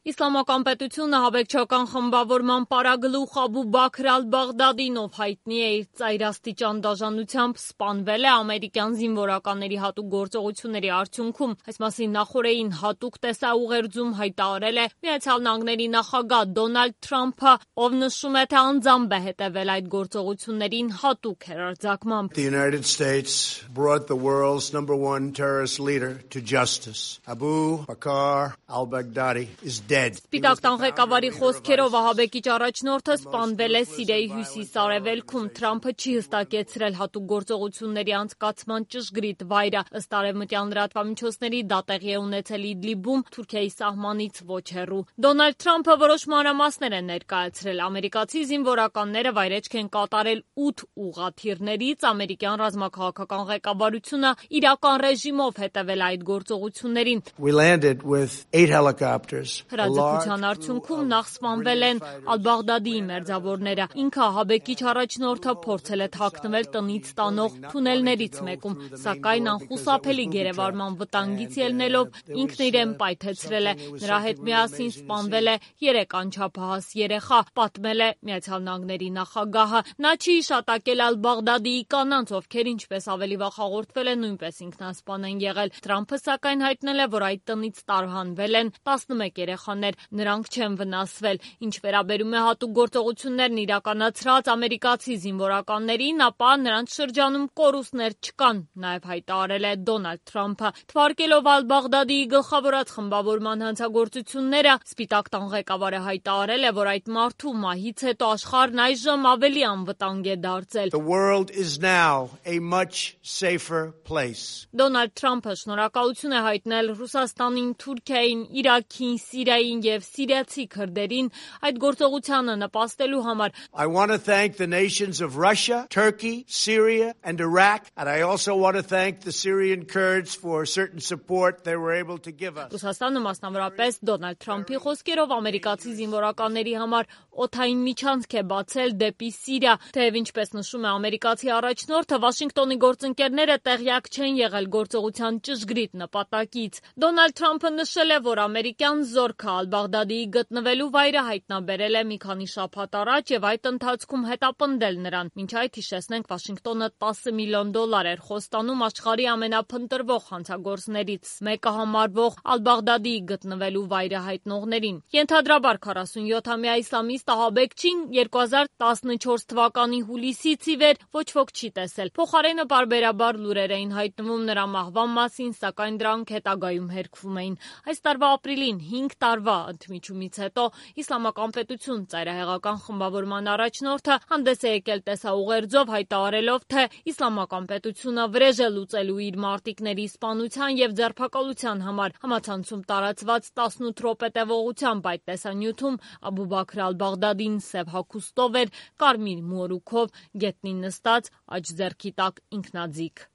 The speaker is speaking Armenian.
Իսլամական պետությունը հավեկչական խմբավորման պարագլուխ Աբու Բաքր ալ-Բաղդադին, ով հայտնի է իր ծայրաստիճան դաժանությամբ, սպանվել է ամերիկյան զինվորականների հատուկ գործողությունների արդյունքում։ Այս մասին նախօրեին հատուկ տեսաուղերձում հայտարարել է Միացյալ Նահանգների նախագահ Դոնալդ Թրամփը, ով նշում է, թե անձամբ է հետևել այդ գործողություններին հատուկ հեռարձակմամբ։ The United States brought the world's #1 terrorist leader to justice. Abu Bakr al-Baghdadi is dead. Սպիտակ տան ղեկավարի խոսքերով ահաբեկիչ առաջնորդը սպանվել է Սիրիայի հյուսիս-արևելքում։ Թրամփը չի հստակեցրել հատուկ գործողությունների անցկացման ճշգրիտ վայրը։ Ըստ արևմտյան լրատվամիջոցների, դա տեղի է ունեցել Իդլիբում, Թուրքիայի սահմանից ոչ հեռու։ Դոնալդ Թրամփը որոշ մանրամասներ է ներկայացրել։ Ամերիկացի զինվորականները վայրեջք են կատարել 8 ուղղաթիռներից, ամերիկյան ռազմաքաղաքական ղեկավարությունը իրական ռեժիմով հետևել այդ գործողություններին։ We landed with 8 helicopters. Հրաձգության արդյունքում նախ սպանվել են Ալ-Բաղդադիի մերձավորները։ Ինքը ահաբեկիչ առաջնորդը փորձել է թաքնվել տնից տանող թունելներից մեկում, սակայն անխուսափելի գերեվարման վտանգից ելնելով ինքն իրեն պայթեցրել է։ Նրա հետ միասին սպանվել է 3 անչափահաս երեխա, պատմել է Միացյալ Նահանգների նախագահը։ Նա չի հիշատակել Ալ-Բաղդադիի կանանց, ովքեր ինչպես ավելի վաղ հաղորդվել է, նույնպես ինքնասպան են եղել։ Թրամփը սակայն հայտնել է, որ այդ տնից տարհանվել են 11 երեխաներ, նրանք չեն վնասվել։ Ինչ վերաբերում է հատուկ գործողություններն իրականացրած ամերիկացի զինվորականներին, ապա նրանց շրջանում կորուստներ չկան, նաև հայտարարել է Դոնալդ Թրամփը։ Թվարկելով Ալ-Բաղդադիի գլխավորած խմբավորման հանցագործությունները, Սպիտակ տան ղեկավարը հայտարարել է, որ այդ մարդու մահից հետո աշխարհն այժմ ավելի անվտանգ է դարձել։ The world is now a much safer place. Դոնալդ Թրամփը շնորհակալություն է հայտնել Ռուսաստանին, Թուրքիային, Իրաքին, Սիրիային եւ սիրիացի քրդերին այդ գործողությանը նպաստելու համար։ I want to thank the nations of Russia, Turkey, Syria and Iraq, and I also want to thank the Syrian Kurds for certain support they were able to give us. Ռուսաստանը մասնավորապես Դոնալդ Թրամփի խոսքերով ամերիկացի զինվորականների համար օդային միջանցք է բացել դեպի Սիրիա, թեև ինչպես նշում է ամերիկացի առաջնորդը, Վաշինգտոնի գործընկերները տեղյակ չեն եղել գործողության ճշգրիտ նպատակից։ Դոնալդ Թրամփը նշել է, որ ամերիկյան զորքը Ալ-Բաղդադիի գտնվելու վայրը հայտնաբերել է մի քանի շաբաթ առաջ եւ այդ ընթացքում հետապնդել նրան։ Մինչ այդ հիշեցնենք, Վաշինգտոնը $10 միլիոն էր խոստանում աշխարհի ամենափնտրվող հանցագործներից մեկը համարվող Ալ-Բաղդադիի գտնվելու վայրը հայտնողներին։ Ենթադրաբար 47-ամյա իսլամիստ ահաբեկչին 2014 թվականի հուլիսից ի վեր ոչ ոք չի տեսել։ Փոխարենը պարբերաբար լուրեր էին հայտնվում նրա մահվան մասին, սակայն դրանք հետագայում հերքվում էին։ Այս տարվա ապրիլին 5 տարվա ընդմիջումից հետո Իսլամական պետություն ծայրահեղական խմբավորման առաջնորդը հանդես է եկել տեսաուղերձով հայտարարելով, թե Իսլամական պետությունը վրեժ է լուծելու իր մարտիկների սպանության եւ ձերբակալության համար։ Համացանցում տարածված 18 րոպե տևողությամբ այդ տեսանյութում Աբու Բաքր ալ-Բաղդադին սև հագուստով էր, կարմիր մորուքով, գետնին նստած, աջ ձեռքի տակ ինքնաձիգ։